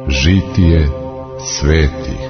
Žitije svetih.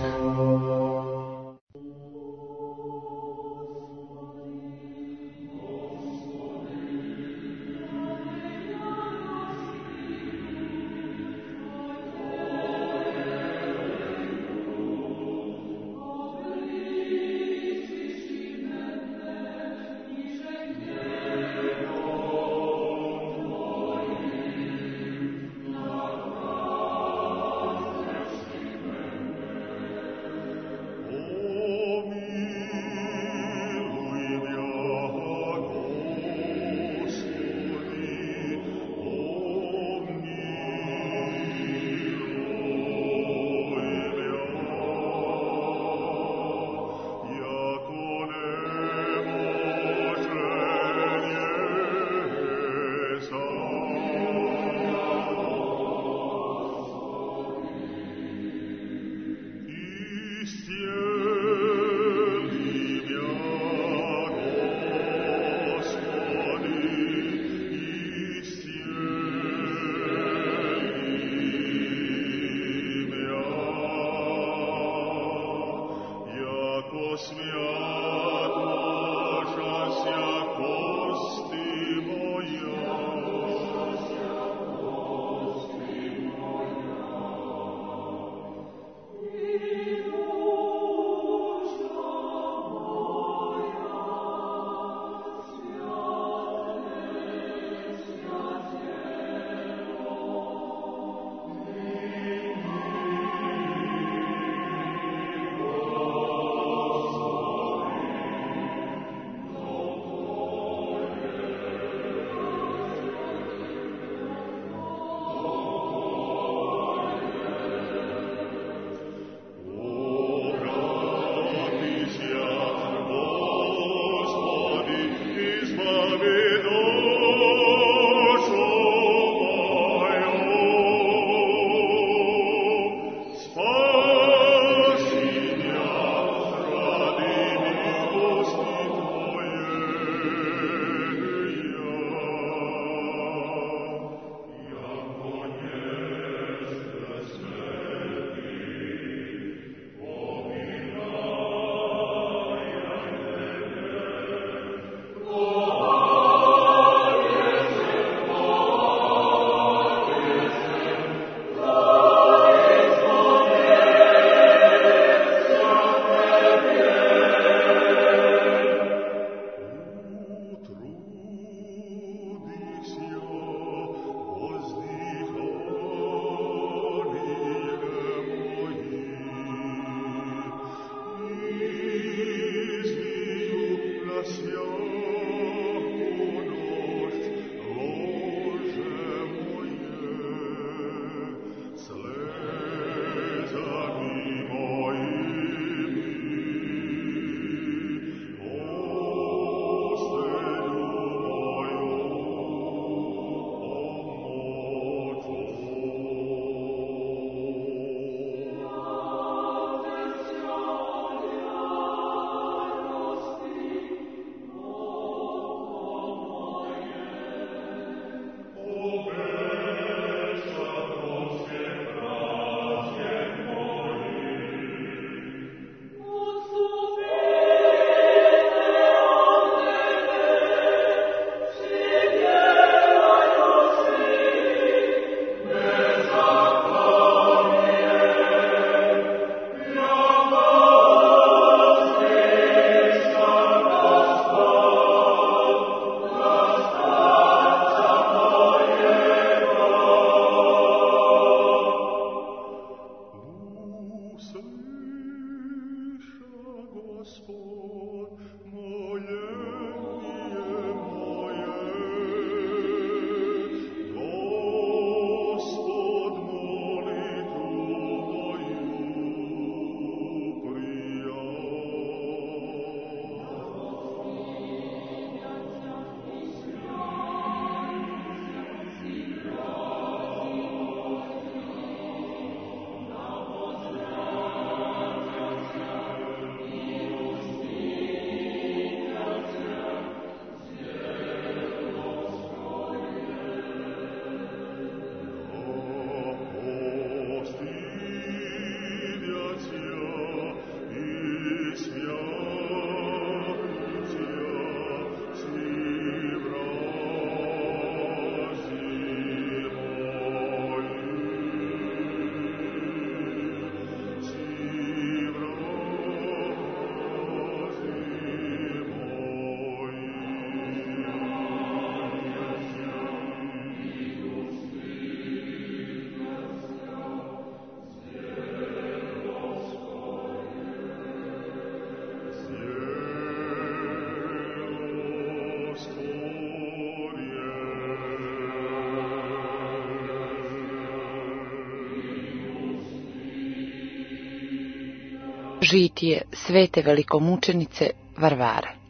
Žitije svete velikomučenice Varvare.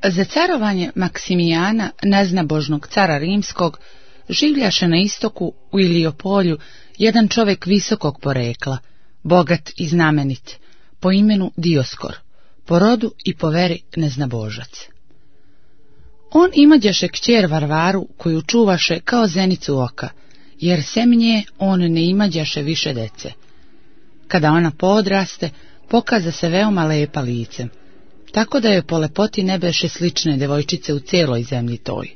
Za carovanje Maksimijana, neznabožnog cara rimskog, življaše na istoku u Iliopolju jedan čovjek visokog porekla, bogat i znamenit, po imenu Dioskor, po rodu i po veri neznabožac. On imađaše kćer Varvaru koju čuvaše kao zenicu oka, jer sem nje on ne imađaše više dece. Kada ona poodraste, pokaza se veoma lepa licem, tako da joj po lepoti ne beše slične devojčice u cijeloj zemlji toj.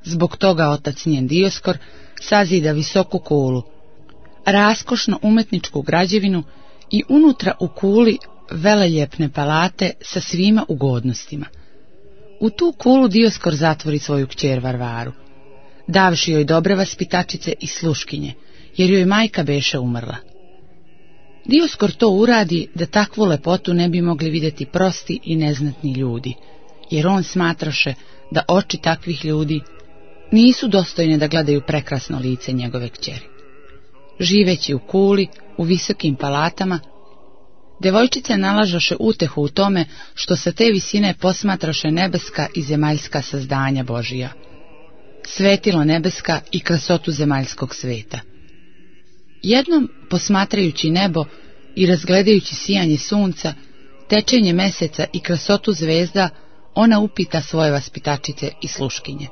Zbog toga otac njen Dioskor sazida visoku kulu, raskošno umetničku građevinu i unutra u kuli veleljepne palate sa svima ugodnostima. U tu kulu Dioskor zatvori svoju kćer Varvaru, davši joj dobre vaspitačice i sluškinje, jer joj majka beše umrla. Dioskor to uradi da takvu lepotu ne bi mogli vidjeti prosti i neznatni ljudi, jer on smatraše da oči takvih ljudi nisu dostojne da gledaju prekrasno lice njegove kćeri. Živeći u kuli, u visokim palatama, devojčice nalažaše utehu u tome što sa te visine posmatraše nebeska i zemaljska sazdanja Božija, svetilo nebeska i krasotu zemaljskog sveta. Jednom, posmatrajući nebo i razgledajući sijanje sunca, tečenje meseca i krasotu zvezda, ona upita svoje vaspitačice i sluškinje: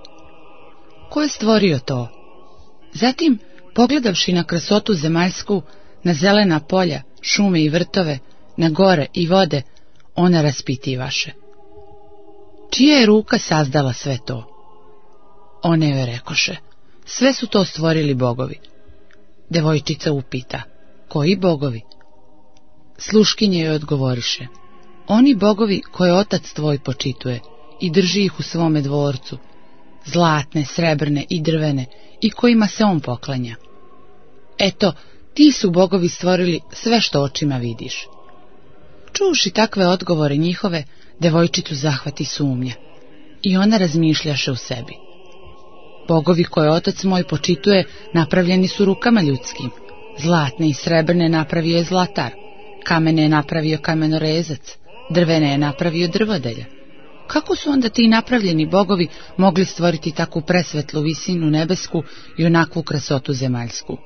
ko je stvorio to? Zatim, pogledavši na krasotu zemaljsku, na zelena polja, šume i vrtove, na gore i vode, ona raspitivaše: čija je ruka sazdala sve to? One joj rekoše: sve su to stvorili bogovi. Devojčica upita: koji bogovi? Sluškinje joj odgovoriše: oni bogovi koje otac tvoj počituje i drži ih u svome dvorcu, zlatne, srebrne i drvene, i kojima se on poklanja. Eto, ti su bogovi stvorili sve što očima vidiš. Čuvši takve odgovore njihove, devojčicu zahvati sumnja i ona razmišljaše u sebi: bogovi koje otac moj počituje napravljeni su rukama ljudskim, zlatne i srebrne napravio je zlatar, kamene je napravio kamenorezac, drvene je napravio drvodelja. Kako su onda ti napravljeni bogovi mogli stvoriti takvu presvetlu visinu nebesku i onakvu krasotu zemaljsku,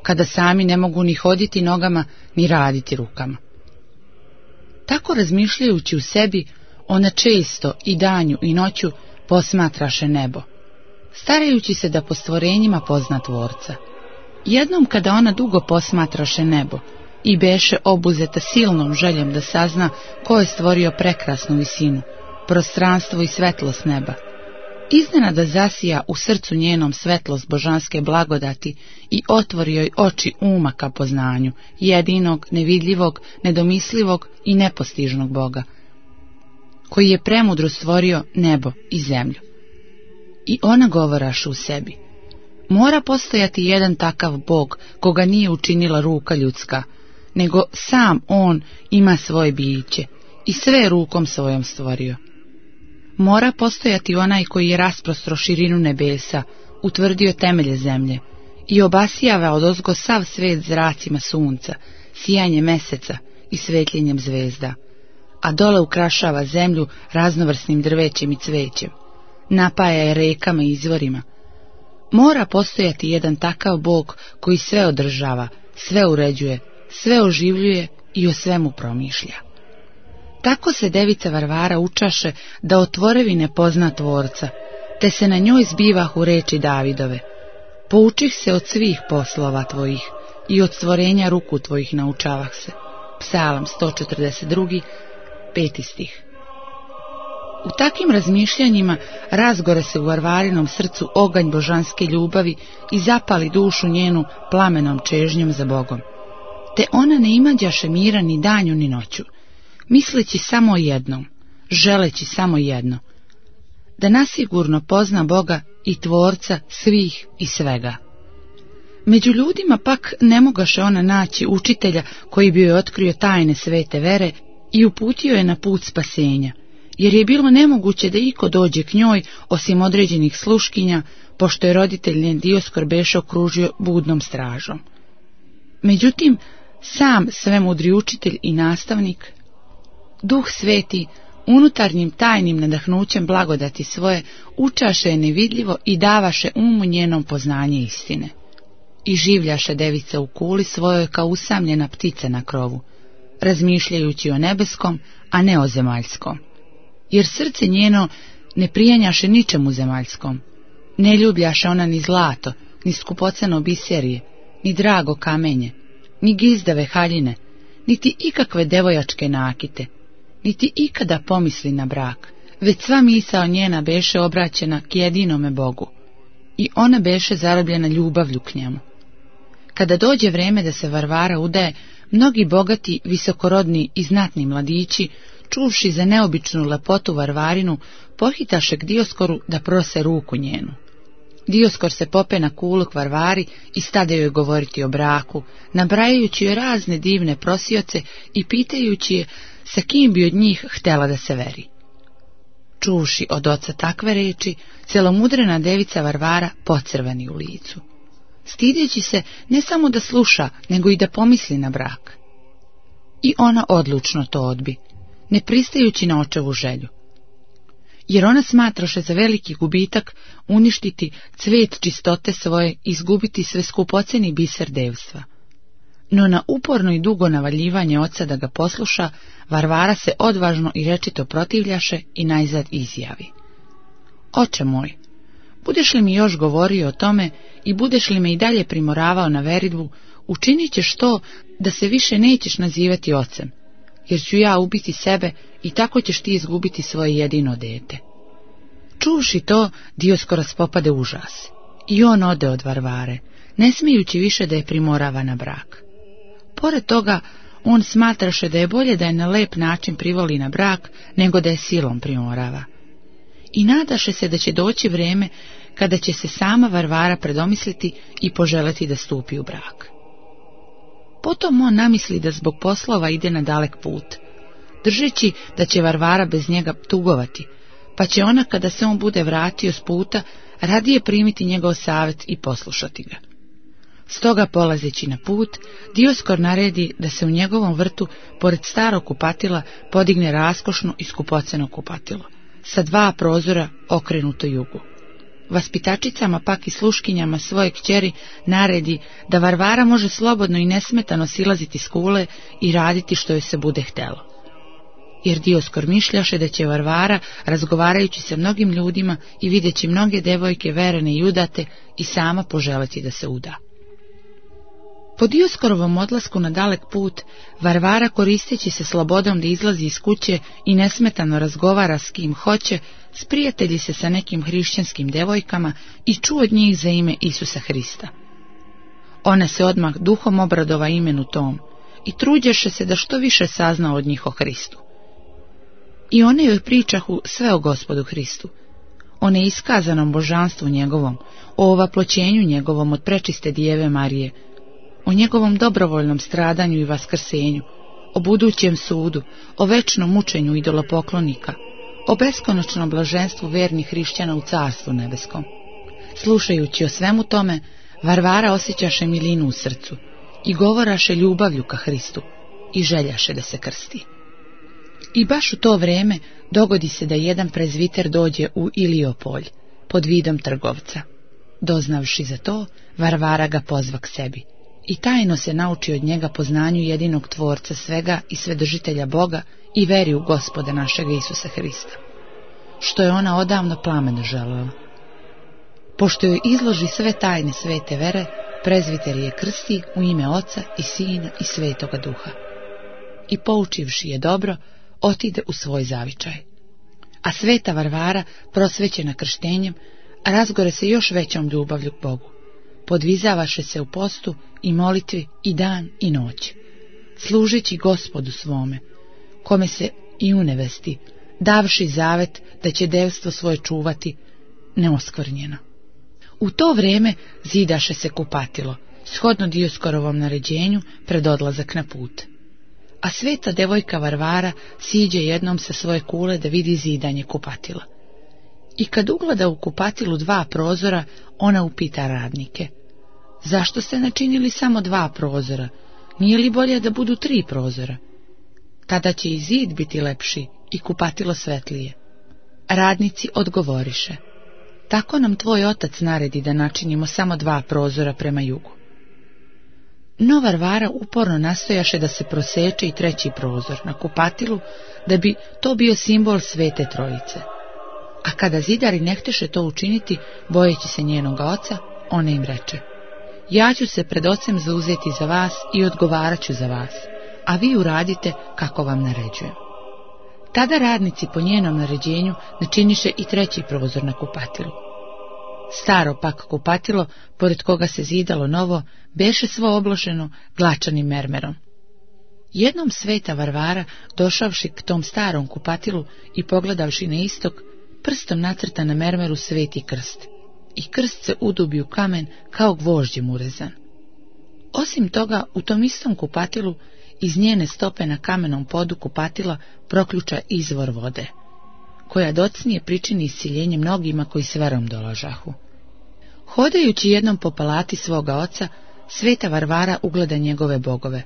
kada sami ne mogu ni hoditi nogama, ni raditi rukama? Tako razmišljajući u sebi, ona često i danju i noću posmatraše nebo, starajući se da po stvorenjima pozna Tvorca. Jednom kada ona dugo posmatraše nebo i beše obuzeta silnom željom da sazna ko je stvorio prekrasnu visinu, prostranstvo i svetlost neba, iznenada zasija u srcu njenom svetlost božanske blagodati i otvori joj oči uma ka poznanju jedinog, nevidljivog, nedomislivog i nepostižnog Boga, koji je premudro stvorio nebo i zemlju. I ona govoraše u sebi: mora postojati jedan takav Bog koga nije učinila ruka ljudska, nego sam on ima svoje biće i sve rukom svojom stvorio. Mora postojati onaj koji je rasprostro širinu nebesa, utvrdio temelje zemlje i obasijava odozgo sav svet zracima sunca, sijanje meseca i svetljenjem zvezda, a dole ukrašava zemlju raznovrsnim drvećem i cvećem, napaja je rekama i izvorima. Mora postojati jedan takav Bog koji sve održava, sve uređuje, sve oživljuje i o svemu promišlja. Tako se devica Varvara učaše da o tvorevine pozna Tvorca, te se na njoj zbivahu reči Davidove: poučih se od svih poslova tvojih i od stvorenja ruku tvojih naučavah se. Psalam 142, 5. stih. U takim razmišljanjima razgore se u Varvarinom srcu oganj božanske ljubavi i zapali dušu njenu plamenom čežnjom za Bogom. Te ona ne imađaše mira ni danju ni noću, misleći samo o jednom, želeći samo jedno: da nasigurno pozna Boga i Tvorca svih i svega. Među ljudima pak ne mogaše ona naći učitelja koji bi joj otkrio tajne svete vere i uputio je na put spasenja, jer je bilo nemoguće da iko dođe k njoj osim određenih sluškinja, pošto je roditelj njen Dioskor beše okružio budnom stražom. Međutim, sam svemudri učitelj i nastavnik, Duh Sveti, unutarnjim tajnim nadahnućem blagodati svoje učaše je nevidljivo i davaše umu njenom poznanje istine. I življaše devica u kuli svojoj kao usamljena ptica na krovu, razmišljajući o nebeskom, a ne o zemaljskom. Jer srce njeno ne prijanjaše ničemu zemaljskom, ne ljubljaše ona ni zlato, ni skupoceno biserije, ni drago kamenje, ni gizdave haljine, niti ikakve devojačke nakite, niti ikada pomisli na brak, već sva misao njena beše obraćena k jedinome Bogu, i ona beše zarobljena ljubavlju k njemu. Kada dođe vreme da se Varvara udaje, mnogi bogati, visokorodni i znatni mladići, čuvši za neobičnu lepotu Varvarinu, pohitaše k Dioskoru da prose ruku njenu. Dioskor se pope na kulu k Varvari i stade joj govoriti o braku, nabrajajući joj razne divne prosioce i pitajući je sa kim bi od njih htjela da se veri. Čuvši od oca takve reči, celomudrena devica Varvara pocrveni u licu, stideći se ne samo da sluša, nego i da pomisli na brak. I ona odlučno to odbi, ne pristajući na očevu želju. Jer ona smatraše za veliki gubitak uništiti cvet čistote svoje i izgubiti sve skupoceni biser devstva. No na uporno i dugo navaljivanje oca da ga posluša, Varvara se odvažno i rečito protivljaše i najzad izjavi: Oče moj, budeš li mi još govorio o tome i budeš li me i dalje primoravao na veridbu, učinit ćeš to da se više nećeš nazivati ocem, jer ću ja ubiti sebe i tako ćeš ti izgubiti svoje jedino dete. Čuvši to, Dioskor raspopade užas i on ode od Varvare, ne smijući više da je primorava na brak. Pored toga, on smatraše da je bolje da je na lep način privoli na brak, nego da je silom primorava. I nadaše se da će doći vrijeme kada će se sama Varvara predomisliti i poželeti da stupi u brak. Potom on namisli da zbog poslova ide na dalek put, držeći da će Varvara bez njega tugovati, pa će ona, kada se on bude vratio s puta, radije primiti njegov savjet i poslušati ga. Stoga, polazeći na put, Dioskor naredi da se u njegovom vrtu, pored starog kupatila, podigne raskošno i skupoceno kupatilo, sa 2 prozora okrenuto jugu. Vaspitačicama pak i sluškinjama svoje kćeri naredi da Varvara može slobodno i nesmetano silaziti s kule i raditi što joj se bude htelo. Jer Dioskor mišljaše da će Varvara, razgovarajući sa mnogim ljudima i videći mnoge devojke verene i udate, i sama poželeti da se uda. Po Dioskorovom odlasku na dalek put, Varvara, koristeći se slobodom da izlazi iz kuće i nesmetano razgovara s kim hoće, sprijatelji se sa nekim hrišćanskim devojkama i čuo od njih za ime Isusa Hrista. Ona se odmah duhom obradova imenu tom i truđeše se da što više sazna od njih o Hristu. I one joj pričahu sve o Gospodu Hristu, o neiskazanom božanstvu njegovom, o ovaploćenju njegovom od prečiste Djeve Marije, o njegovom dobrovoljnom stradanju i vaskrsenju, o budućem sudu, o večnom mučenju idolopoklonika, o beskonačnom blaženstvu vernih hrišćana u carstvu nebeskom. Slušajući o svemu tome, Varvara osjećaše milinu u srcu i govoraše ljubavlju ka Hristu i željaše da se krsti. I baš u to vrijeme dogodi se da jedan prezviter dođe u Iliopolj pod vidom trgovca. Doznavši za to, Varvara ga pozva k sebi i tajno se nauči od njega poznanju jedinog tvorca svega i svedržitelja Boga i veri u Gospoda našega Isusa Hrista, što je ona odavno plameno željela. Pošto joj izloži sve tajne svete vere, prezviter je krsti u ime Oca i Sina i Svetoga Duha. I poučivši je dobro, otide u svoj zavičaj. A sveta Varvara, prosvećena krštenjem, razgore se još većom ljubavlju k Bogu. Podvizavaše se u postu i molitvi i dan i noć, služeći Gospodu svome, kome se i unevesti, davši zavet da će devstvo svoje čuvati neoskvrnjeno. U to vrijeme zidaše se kupatilo, shodno Dioskorovom naređenju, pred odlazak na put. A sveta devojka Varvara siđe jednom sa svoje kule da vidi zidanje kupatila. I kad ugleda u kupatilu 2 prozora, ona upita radnike: zašto ste načinili samo 2 prozora? Nije li bolje da budu 3 prozora? tada će i zid biti lepši i kupatilo svetlije. Radnici odgovoriše: tako nam tvoj otac naredi da načinimo samo 2 prozora prema jugu. No Varvara uporno nastojaše da se proseče i 3. prozor na kupatilu, da bi to bio simbol Svete Trojice. A kada zidari ne hteše to učiniti, bojeći se njenoga oca, ona im reče: ja ću se pred ocem zauzeti za vas i odgovarat ću za vas, a vi uradite kako vam naređujem. Tada radnici po njenom naređenju načiniše i 3. prozor na kupatilu. Staro pak kupatilo, pored koga se zidalo novo, beše svo obloženo glačanim mermerom. Jednom Sveta Varvara, došavši k tom starom kupatilu i pogledavši na istok, prstom nacrta na mermeru sveti krst, i krst se udubi u kamen kao gvožđem urezan. Osim toga, u tom istom kupatilu, iz njene stope na kamenom podu kupatila proključa izvor vode, koja docnije pričini isciljenje mnogima koji s verom dolažahu. Hodajući jednom po palati svoga oca, Sveta Varvara ugleda njegove bogove,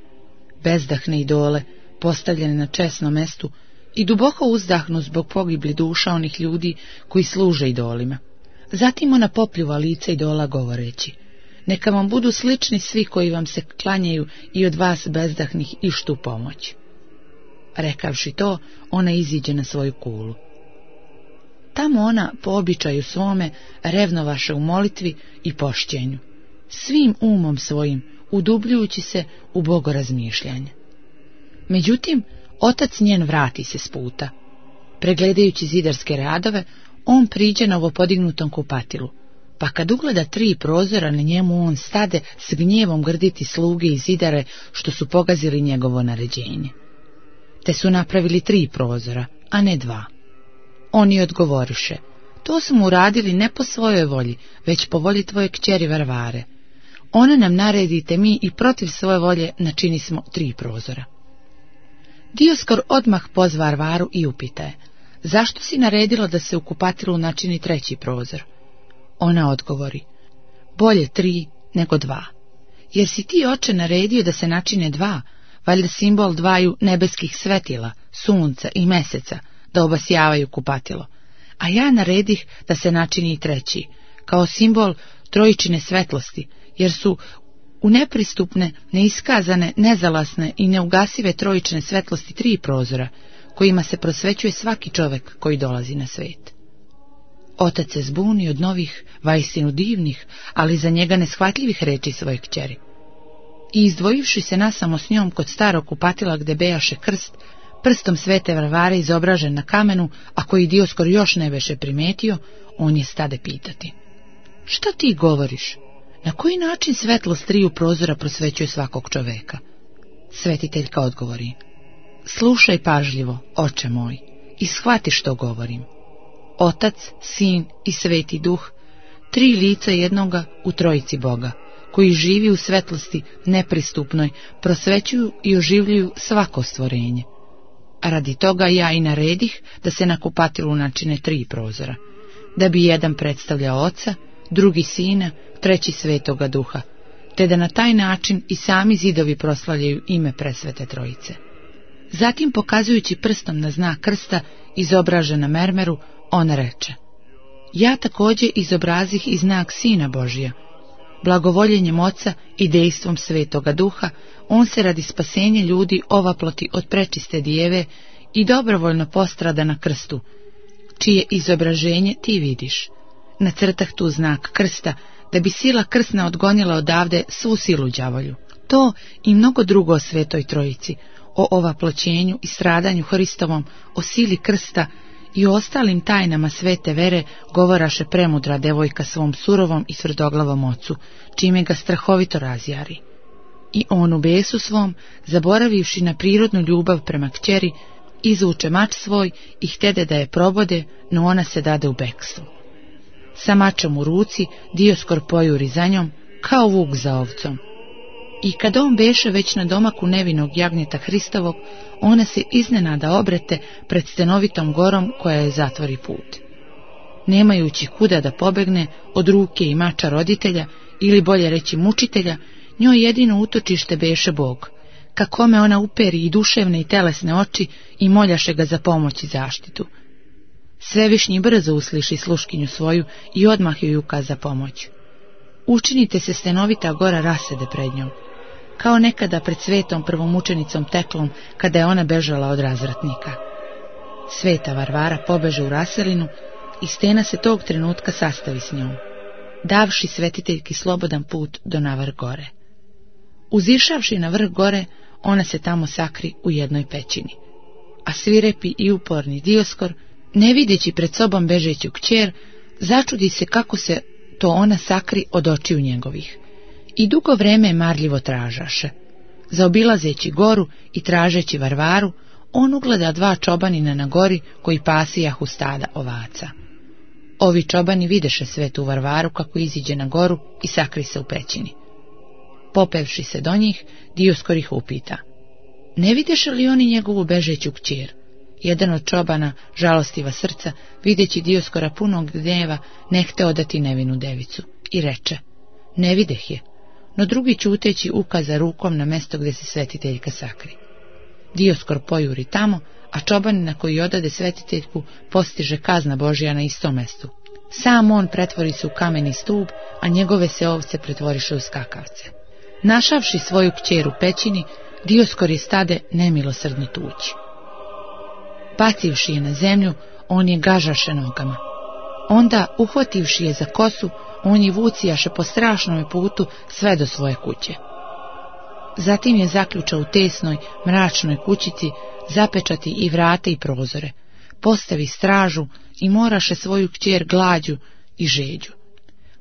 bezdahne idole, postavljene na česnom mestu, i duboko uzdahnu zbog pogibli duša onih ljudi koji služe idolima. Zatim ona popljuva lice idola govoreći: neka vam budu slični svi koji vam se klanjaju i od vas bezdahnih ištu pomoć. Rekavši to, ona iziđe na svoju kulu. Tamo ona, po običaju svome, revnovaše u molitvi i pošćenju, svim umom svojim, udubljujući se u bogorazmišljanje. Međutim, otac njen vrati se s puta. Pregledajući zidarske radove, on priđe novopodignutom kupatilu, pa kad ugleda 3 prozora na njemu, on stade s gnjevom grditi sluge i zidare što su pogazili njegovo naređenje. Te su napravili 3 prozora, a ne 2. Oni odgovoriše: to smo uradili ne po svojoj volji, već po volji tvoje kćeri Varvare. Ona nam naredite mi i protiv svoje volje načini smo 3 prozora. Dioskor odmah pozva Varvaru i upita je: zašto si naredila da se u kupatilu načini 3. prozor? Ona odgovori: bolje 3 nego 2. Jer si ti, oče, naredio da se načine 2, valjda simbol 2 nebeskih svetila, sunca i meseca, da obasjavaju kupatilo, a ja naredih da se načini i 3, kao simbol trojičine svetlosti, jer su u nepristupne, neiskazane, nezalasne i neugasive trojične svetlosti 3 prozora, kojima se prosvećuje svaki čovek koji dolazi na svet. Otac se zbuni od novih, vaistinu divnih, ali za njega neshvatljivih reči svoje kćeri. I izdvojivši se nasamo s njom kod starog kupatila gde bejaše krst, prstom Svete Varvare izobražen na kamenu, a koji Dioskor još ne beše primetio, on je stade pitati: šta ti govoriš? Na koji način svetlost 3 prozora prosvećuje svakog čoveka? Svetiteljka odgovori: slušaj pažljivo, oče moj, i shvati što govorim. Otac, Sin i Sveti Duh, 3 lica jednoga u trojici Boga, koji živi u svetlosti nepristupnoj, prosvećuju i oživljuju svako stvorenje. A radi toga ja i naredih da se na kupatilu načine 3 prozora, da bi jedan predstavljao Oca, drugi Sina, 3 Svetoga Duha, te da na taj način i sami zidovi proslavljaju ime presvete Trojice. Zatim, pokazujući prstom na znak krsta izobražen na mermeru, ona reče: ja također izobrazih i znak Sina Božija. Blagovoljenjem Oca i dejstvom Svetoga Duha, on se radi spasenja ljudi ovaploti od prečiste Dijeve i dobrovoljno postrada na krstu, čije izobraženje ti vidiš. Nacrtah tu znak krsta, da bi sila krsna odgonila odavde svu silu đavolju. To i mnogo drugo o Svetoj Trojici, o ovaploćenju i stradanju Hristovom, o sili krsta i o ostalim tajnama svete vere govoraše premudra devojka svom surovom i tvrdoglavom ocu, čime ga strahovito razjari. I on u besu svom, zaboravivši na prirodnu ljubav prema kćeri, izvuče mač svoj i htede da je probode, no ona se dade u bekstvo. Sa mačom u ruci Dioskor pojuri za njom, kao vuk za ovcom. I kad on beše već na domaku nevinog jagnjeta Hristovog, ona se iznenada obrete pred stenovitom gorom koja je zatvori put. Nemajući kuda da pobegne od ruke i mača roditelja, ili bolje reći mučitelja, njoj jedino utočište beše Bog, kakome ona uperi i duševne i telesne oči i moljaše ga za pomoć i zaštitu. Svevišnji brzo usliši sluškinju svoju i odmah joj ukaza pomoć. Učinite se stenovita gora rasede pred njom, kao nekada pred svetom prvomučenicom Teklom, kada je ona bežala od razvratnika. Sveta Varvara pobeže u raselinu i stena se tog trenutka sastavi s njom, davši svetiteljki slobodan put do na vrh gore. Uzišavši na vrh gore, ona se tamo sakri u jednoj pećini, a svirepi i uporni Dioskor, ne videći pred sobom bežeću kćer, začudi se kako se to ona sakri od očiju njegovih. I dugo vreme marljivo tražaše. Zaobilazeći goru i tražeći Varvaru, on ugleda 2 čobanina na gori koji pasijahu stada ovaca. Ovi čobani videše svetu Varvaru kako iziđe na goru i sakri se u pećini. Popevši se do njih, Dioskor ih upita: ne videše li oni njegovu bežeću kćer? Jedan od čobana, žalostiva srca, videći Dioskora punog gnjeva, ne hteo dati nevinu devicu i reče: ne videh je, no drugi ćuteći ukaza rukom na mesto gdje se svetiteljka sakri. Dioskor pojuri tamo, a čobanina koji odade svetiteljku postiže kazna Božja na istom mestu. Sam on pretvori se u kameni stub, a njegove se ovce pretvoriše u skakavce. Našavši svoju kćer u pećini, Dioskor je stade nemilosrdno tući. Bacivši je na zemlju, on je gažaše nogama. Onda, uhvativši je za kosu, on je vucijaše po strašnome putu sve do svoje kuće. Zatim je zaključao u tesnoj, mračnoj kućici, zapečati i vrate i prozore, postavi stražu i moraše svoju kćer glađu i žeđu.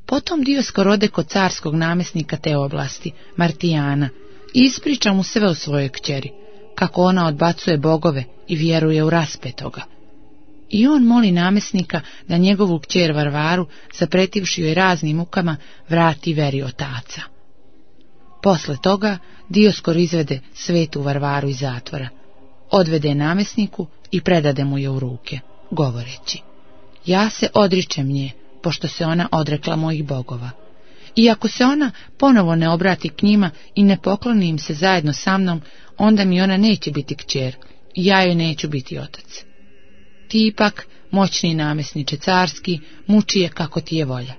Potom Dioskor ode kod carskog namjesnika te oblasti, Martijana, i ispriča mu sve o svojoj kćeri, kako ona odbacuje bogove i vjeruje u raspetoga. I on moli namjesnika da njegovu kćer Varvaru, zapretivši joj raznim mukama, vrati veri otaca. Posle toga Dioskor izvede svetu Varvaru iz zatvora, odvede je namjesniku i predade mu je u ruke, govoreći: ja se odričem nje, pošto se ona odrekla mojih bogova. I ako se ona ponovo ne obrati k njima i ne pokloni im se zajedno sa mnom, onda mi ona neće biti kćer i ja joj neću biti otac. Ti ipak, moćni namjesniče carski, muči je kako ti je volja.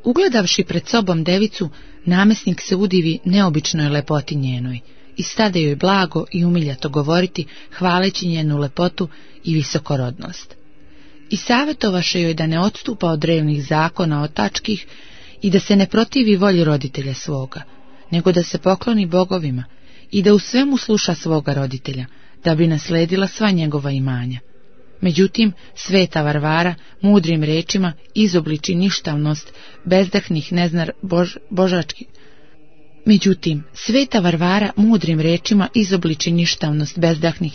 Ugledavši pred sobom devicu, namjesnik se udivi neobičnoj lepoti njenoj i stade joj blago i umiljato govoriti, hvaleći njenu lepotu i visokorodnost. I savjetovaše joj da ne odstupa od drevnih zakona otačkih i da se ne protivi volji roditelja svoga, nego da se pokloni bogovima i da u svemu sluša svoga roditelja, da bi nasledila sva njegova imanja. Međutim, sveta Varvara mudrim rečima izobliči ništavnost bezdahnih božačkih.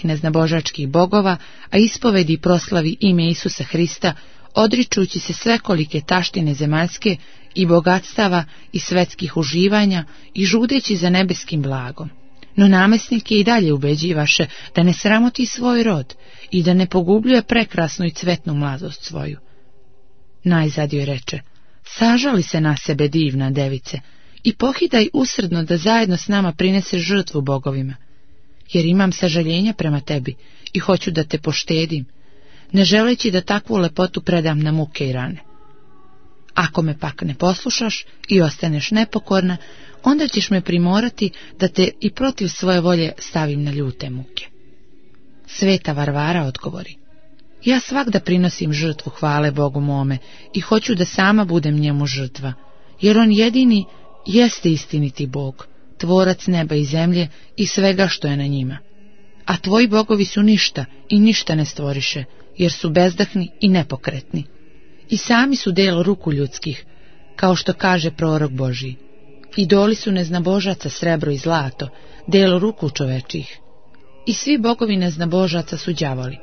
neznabožačkih bogova, a ispovedi i proslavi ime Isusa Hrista, odričući se svekolike taštine zemaljske i bogatstava i svetskih uživanja i žudeći za nebeskim blagom. No namjesnik je i dalje ubeđivaše da ne sramoti svoj rod i da ne pogubljuje prekrasnu i cvetnu mladost svoju. Najzad joj reče: sažali se na sebe, divna device, i pohidaj usrdno da zajedno s nama prineseš žrtvu bogovima, jer imam sažaljenja prema tebi i hoću da te poštedim, ne želeći da takvu lepotu predam na muke i rane. Ako me pak ne poslušaš i ostaneš nepokorna, onda ćeš me primorati da te i protiv svoje volje stavim na ljute muke. Sveta Varvara odgovori: ja svagda prinosim žrtvu hvale Bogu mome i hoću da sama budem njemu žrtva, jer on jedini jeste istiniti Bog, tvorac neba i zemlje i svega što je na njima. A tvoji bogovi su ništa i ništa ne stvoriše, jer su bezdahni i nepokretni. I sami su delo ruku ljudskih, kao što kaže prorok Božiji. Idoli su neznabožaca srebro i zlato, delo ruku čovečih. I svi bogovi neznabožaca su đavoli,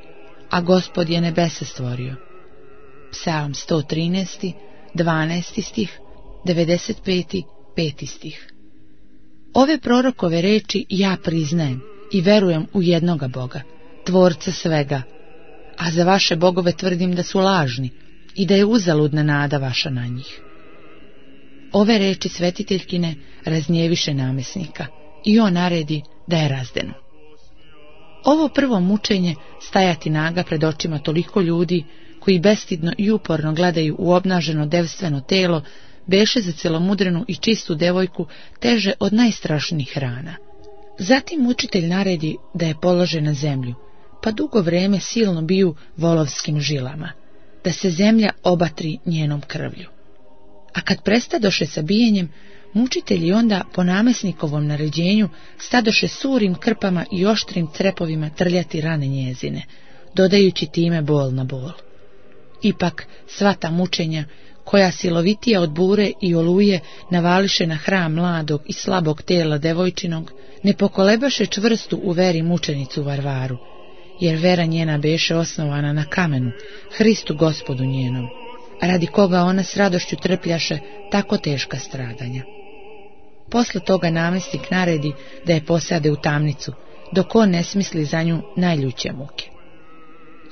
a Gospod je nebesa stvorio. Psalm 113, 12 stih, 95, 5 stih. Ove prorokove reči ja priznajem i verujem u jednoga Boga, tvorca svega, a za vaše bogove tvrdim da su lažni i da je uzaludna nada vaša na njih. Ove reči svetiteljkine raznjeviše namjesnika i on naredi da je razdenu. Ovo prvo mučenje, stajati naga pred očima toliko ljudi, koji bestidno i uporno gledaju u obnaženo devstveno telo, beše za celomudrenu i čistu devojku teže od najstrašnijih rana. Zatim mučitelj naredi da je polože na zemlju, pa dugo vreme silno biju volovskim žilama, da se zemlja obatri njenom krvlju. A kad prestadoše sa bijenjem, mučitelji onda po namesnikovom naređenju stadoše surim krpama i oštrim crepovima trljati rane njezine, dodajući time bol na bol. Ipak sva ta mučenja, koja silovitija od bure i oluje navališe na hram mladog i slabog tela devojčinog, ne pokolebaše čvrstu u veri mučenicu Varvaru, jer vera njena beše osnovana na kamenu, Hristu Gospodu njenom, radi koga ona s radošću trpljaše tako teška stradanja. Posle toga namestnik naredi da je posade u tamnicu, dok on ne smisli za nju najljuće muke.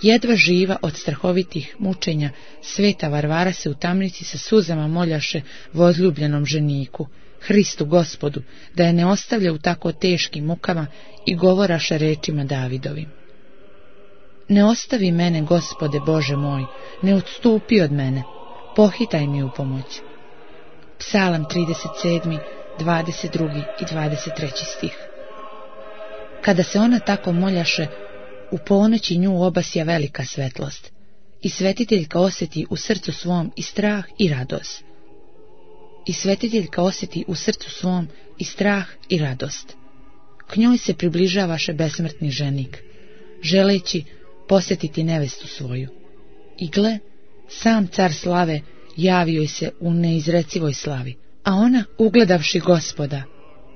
Jedva živa od strahovitih mučenja, sveta Varvara se u tamnici sa suzama moljaše vozljubljenom ženiku, Hristu Gospodu, da je ne ostavlja u tako teškim mukama i govoraše rečima Davidovim. Ne ostavi mene, Gospode Bože moj, ne odstupi od mene, pohitaj mi u pomoć. Psalam 37, 22 i 23 stih. Kada se ona tako moljaše, u ponoći nju obasja velika svetlost, i svetiteljka osjeti u srcu svom i strah i radost. K njoj se približavaše besmrtni ženik, želeći posjetiti nevestu svoju. I gle, sam car slave javio joj se u neizrecivoj slavi, a ona, ugledavši Gospoda,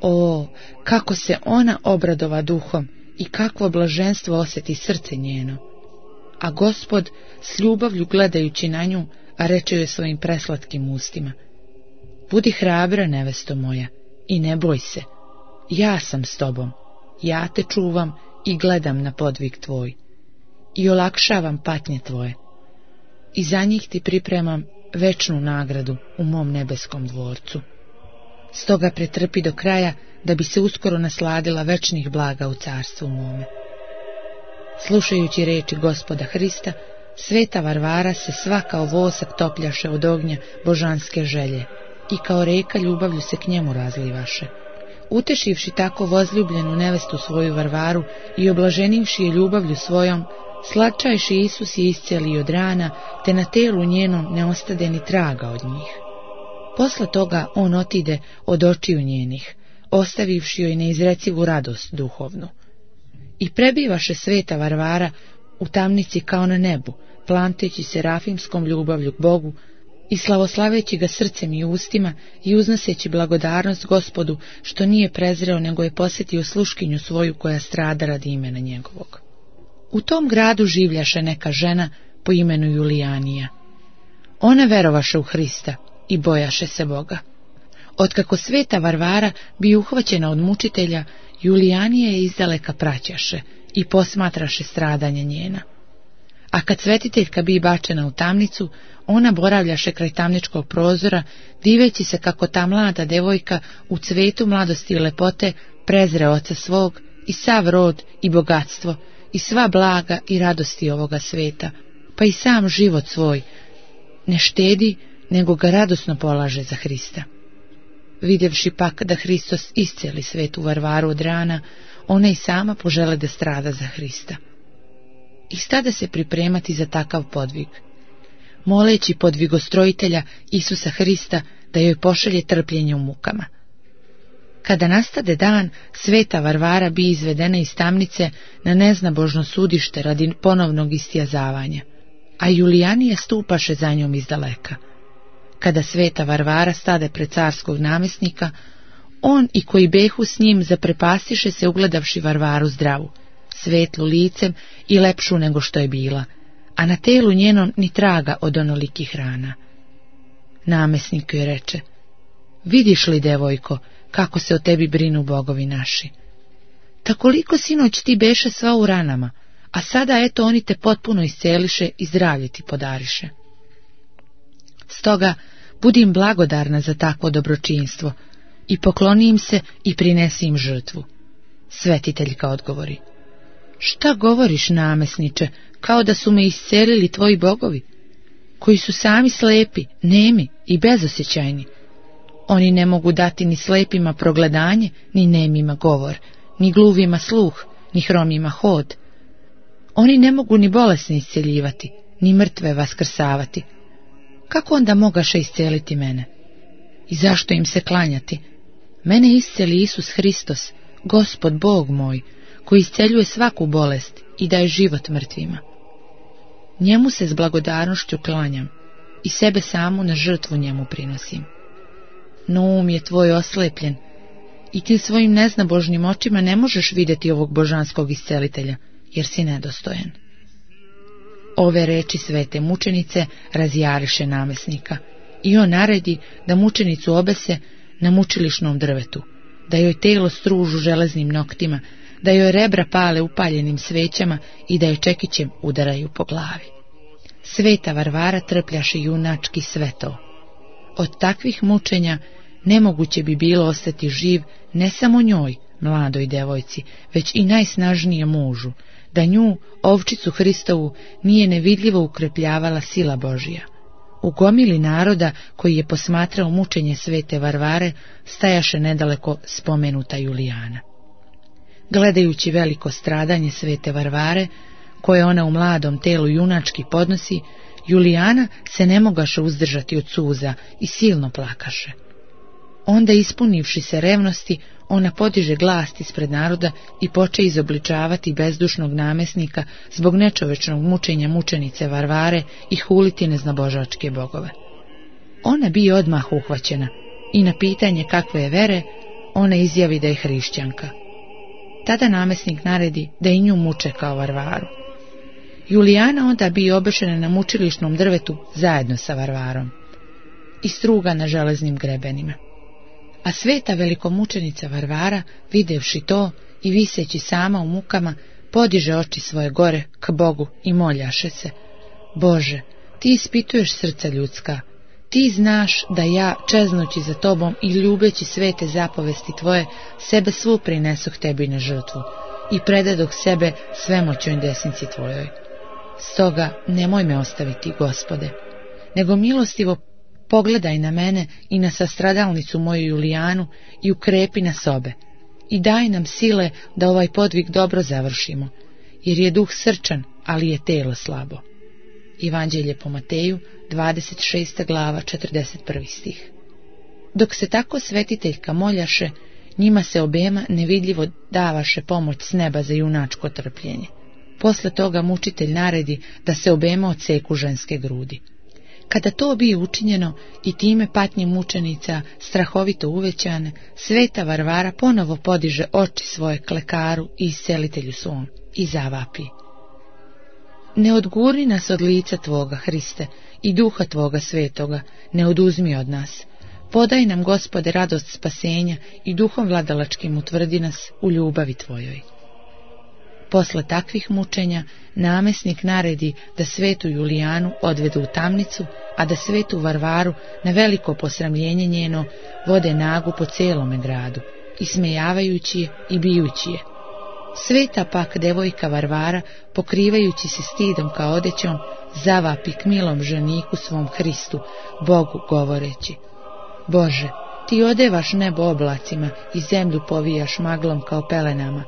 o, kako se ona obradova duhom i kakvo blaženstvo osjeti srce njeno. A Gospod s ljubavlju gledajući na nju, a reče joj svojim preslatkim ustima: budi hrabra, nevesto moja, i ne boj se, ja sam s tobom, ja te čuvam i gledam na podvig tvoj, i olakšavam patnje tvoje, i za njih ti pripremam večnu nagradu u mom nebeskom dvorcu. Stoga pretrpi do kraja, da bi se uskoro nasladila večnih blaga u carstvu mome. Slušajući reči Gospoda Hrista, sveta Varvara se sva kao vosak topljaše od ognja božanske želje i kao reka ljubavlju se k njemu razlivaše. Utešivši tako vozljubljenu nevestu svoju Varvaru i oblaženivši je ljubavlju svojom, slatčajši Isus je iscelio od rana, te na telu njenom ne ostade ni traga od njih. Posle toga on otide od očiju njenih, ostavivši joj neizrecivu radost duhovnu. I prebivaše sveta Varvara u tamnici kao na nebu, planteći se rafimskom ljubavlju k Bogu i slavoslaveći ga srcem i ustima i uznoseći blagodarnost Gospodu, što nije prezreo, nego je posjetio sluškinju svoju koja strada radi imena njegovog. U tom gradu življaše neka žena po imenu Julijanija. Ona verovaše u Hrista i bojaše se Boga. Otkako sveta Varvara bi uhvaćena od mučitelja, Julijanija je izdaleka praćaše i posmatraše stradanja njena. A kad svetiteljka bi bačena u tamnicu, ona boravljaše kraj tamničkog prozora, diveći se kako ta mlada devojka u cvetu mladosti i lepote prezre oca svog i sav rod i bogatstvo i sva blaga i radosti ovoga sveta, pa i sam život svoj ne štedi, nego ga radosno polaže za Hrista. Vidjevši pak da Hristos iscijeli svetu Varvaru od rana, ona i sama požele da strada za Hrista. I stada se pripremati za takav podvig, moleći podvigostrojitelja Isusa Hrista da joj pošalje trpljenje u mukama. Kada nastade dan, sveta Varvara bi izvedena iz tamnice na neznabožno sudište radi ponovnog istijazavanja, a Julijanija stupaše za njom izdaleka. Kada sveta Varvara stade pred carskog namjesnika, on i koji behu s njim zaprepastiše se ugledavši Varvaru zdravu, svetlu licem i lepšu nego što je bila, a na telu njenom ni traga od onolikih rana. Namjesnik joj reče: vidiš li, devojko, kako se o tebi brinu bogovi naši? Takoliko sinoć ti beše sva u ranama, a sada eto oni te potpuno isceliše i zdravlje ti podariše. Stoga budim blagodarna za takvo dobročinstvo i pokloni im se i prinesi im žrtvu. Svetiteljka odgovori: Šta govoriš, namesniče, kao da su me iscelili tvoji bogovi, koji su sami slepi, nemi i bezosjećajni. Oni ne mogu dati ni slepima progledanje, ni nemima govor, ni gluvima sluh, ni hromima hod. Oni ne mogu ni bolesne isceljivati, ni mrtve vaskrsavati. Kako onda mogaše isceliti mene? I zašto im se klanjati? Mene isceli Isus Hristos, Gospod Bog moj, koji isceljuje svaku bolest i daje život mrtvima. Njemu se s blagodarnošću klanjam i sebe samu na žrtvu njemu prinosim. No um je tvoj oslepljen i ti svojim neznabožnim očima ne možeš vidjeti ovog božanskog iscelitelja, jer si nedostojan. Ove reči svete mučenice razjariše namesnika i on naredi da mučenicu obese na mučilišnom drvetu, da joj telo stružu železnim noktima, da joj rebra pale upaljenim svećama i da joj čekićem udaraju po glavi. Sveta Varvara trpljaše junački sve to. Od takvih mučenja nemoguće bi bilo ostati živ ne samo njoj, mladoj devojci, već i najsnažnijem mužu, da nju, ovčicu Hristovu, nije nevidljivo ukrepljavala sila Božija. U gomili naroda koji je posmatrao mučenje svete Varvare stajaše nedaleko spomenuta Julijana. Gledajući veliko stradanje svete Varvare, koje ona u mladom telu junački podnosi, Julijana se ne mogaše uzdržati od suza i silno plakaše. Onda, ispunivši se revnosti, ona podiže glas ispred naroda i poče izobličavati bezdušnog namesnika zbog nečovečnog mučenja mučenice Varvare i huliti neznabožačke bogove. Ona bi odmah uhvaćena i na pitanje kakve je vere, ona izjavi da je hrišćanka. Tada namesnik naredi da i nju muče kao Varvaru. Julijana onda bi obešena na mučilišnom drvetu zajedno sa Varvarom i struga na železnim grebenima. A sveta velikomučenica Varvara, videvši to i viseći sama u mukama, podiže oči svoje gore k Bogu i moljaše se: Bože, ti ispituješ srca ljudska, ti znaš da ja, čeznući za tobom i ljubeći svete zapovesti tvoje, sebe svu prinesoh tebi na žrtvu i predadoh sebe svemoćnoj desnici tvojoj. Stoga nemoj me ostaviti, Gospode, nego milostivo pogledaj na mene i na sastradalnicu moju Julijanu i ukrepi nas obe i daj nam sile da ovaj podvig dobro završimo, jer je duh srčan, ali je telo slabo. Evanđelje po Mateju, 26. glava, 41. stih. Dok se tako svetiteljka moljaše, njima se obema nevidljivo davaše pomoć s neba za junačko trpljenje. Posle toga mučitelj naredi da se obema odseku ženske grudi. Kada to bi učinjeno i time patnje mučenica strahovito uvećane, sveta Varvara ponovo podiže oči svoje k lekaru i iscelitelju svom i zavapi: Ne odgurni nas od lica tvoga, Hriste, i duha tvoga svetoga, ne oduzmi od nas. Podaj nam, Gospode, radost spasenja i duhom vladalačkim utvrdi nas u ljubavi tvojoj. Posle takvih mučenja namesnik naredi da svetu Julijanu odvedu u tamnicu, a da svetu Varvaru na veliko posramljenje njeno vode nagu po celome gradu, ismejavajući je i bijući je. Sveta pak devojka Varvara, pokrivajući se stidom kao odećom, zavapi k milom ženiku svom Hristu, Bogu govoreći: Bože, ti odevaš nebo oblacima i zemlju povijaš maglom kao pelenama.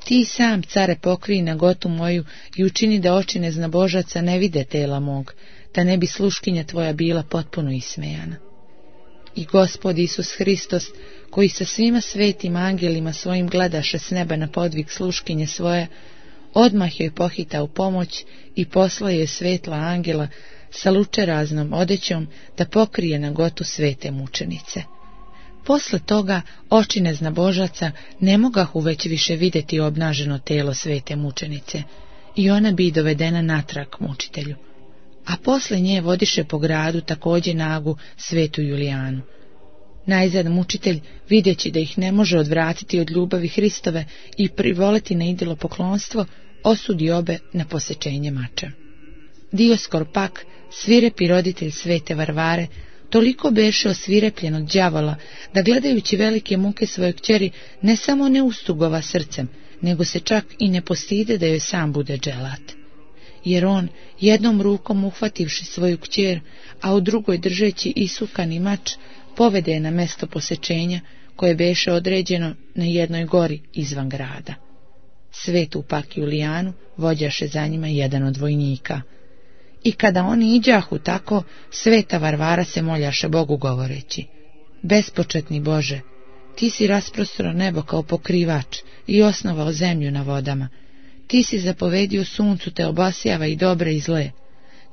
Ti sam, care, pokrij nagotu moju i učini da oči neznabožaca ne vide tela mog, da ne bi sluškinja tvoja bila potpuno ismejana. I Gospod Isus Hristos, koji sa svima svetim angelima svojim gledaše s neba na podvig sluškinje svoje, odmah joj pohita u pomoć i posla joj svetla angela sa lučeraznom odećom da pokrije nagotu svete mučenice. Posle toga oči neznabožaca ne mogahu već više vidjeti obnaženo telo svete mučenice i ona bi dovedena natrag mučitelju. A posle nje vodiše po gradu također nagu svetu Julijanu. Najzad mučitelj, vidjeći da ih ne može odvratiti od ljubavi Hristove i privoleti na idolopoklonstvo, osudi obe na posečenje mačem. Dioskor pak, svirepi roditelj svete Varvare, Toliko beše osvirepljen od đavola, da gledajući velike muke svoje kćeri ne samo ne ustugova srcem, nego se čak i ne postide da joj sam bude dželat. Jer on, jednom rukom uhvativši svoju kćer, a u drugoj držeći isukani mač, povede je na mesto posečenja, koje beše određeno na jednoj gori izvan grada. Svetu pak Julijanu vođaše za njima jedan od vojnika. I kada oni iđahu tako, sveta Varvara se moljaše Bogu govoreći: Bespočetni Bože, ti si rasprostro nebo kao pokrivač i osnovao zemlju na vodama. Ti si zapovedio suncu te obasjava i dobre i zle.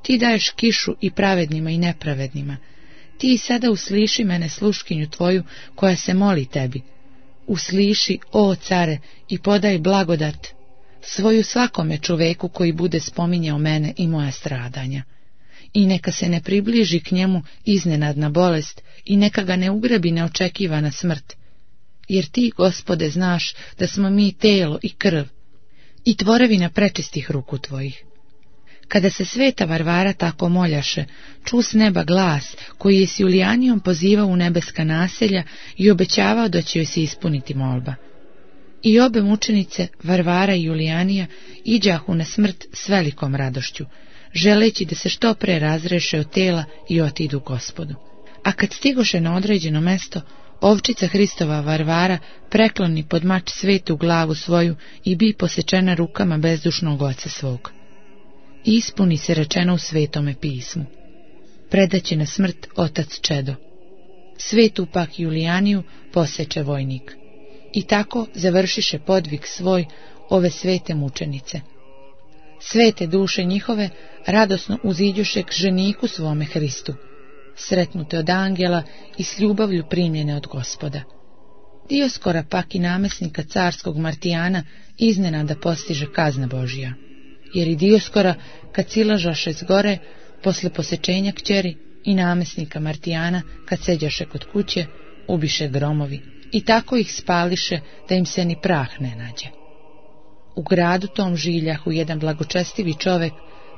Ti daješ kišu i pravednima i nepravednima. Ti sada usliši mene sluškinju tvoju koja se moli tebi. Usliši, o care, i podaj blagodat svoju svakome čoveku koji bude spominjao mene i moja stradanja. I neka se ne približi k njemu iznenadna bolest i neka ga ne ugrabi neočekivana smrt. Jer ti, Gospode, znaš da smo mi telo i krv i tvorevina prečistih ruku tvojih. Kada se sveta Varvara tako moljaše, ču s neba glas koji je s Julijanijom pozivao u nebeska naselja i obećavao da će joj se ispuniti molba. I obe mučenice, Varvara i Julijanija, iđahu na smrt s velikom radošću, želeći da se što pre razreše od tela i otidu Gospodu. A kad stigoše na određeno mesto, ovčica Hristova Varvara prekloni pod mač svetu glavu svoju i bi posečena rukama bezdušnog oca svog. I ispuni se rečeno u Svetome pismu: predaće na smrt otac čedo. Svetu pak Julijaniju poseče vojnik. I tako završiše podvig svoj ove svete mučenice. Svete duše njihove radosno uziđuše k ženiku svome Hristu, sretnute od angela i s ljubavlju primljene od Gospoda. Dioskora pak i namesnika carskog Martijana iznenada postiže kazna Božja. Jer i Dioskora, kad silažaše s gore, posle posečenja kćeri, i namesnika Martijana, kad seđaše kod kuće, ubiše gromovi, i tako ih spališe da im se ni prah ne nađe. U gradu tom žiljahu jedan blagočestivi čovek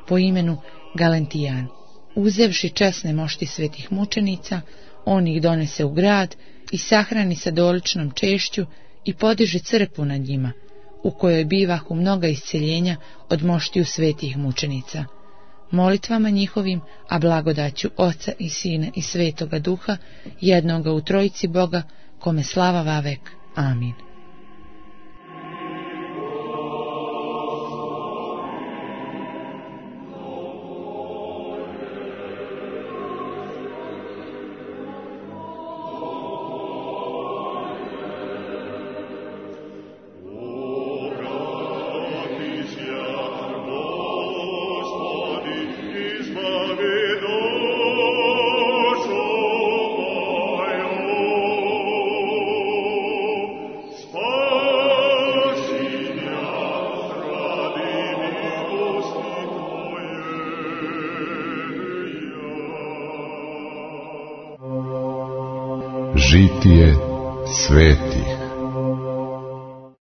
po imenu Galentijan. Uzevši česne mošti svetih mučenica, on ih donese u grad i sahrani sa doličnom češću i podiže crkvu nad njima, u kojoj bivahu mnoga isceljenja od moštiju svetih mučenica. Molitvama njihovim, a blagodaću Oca i Sina i Svetoga Duha, jednoga u Trojici Boga, kome slava vavek. Amin. Žitije svetih.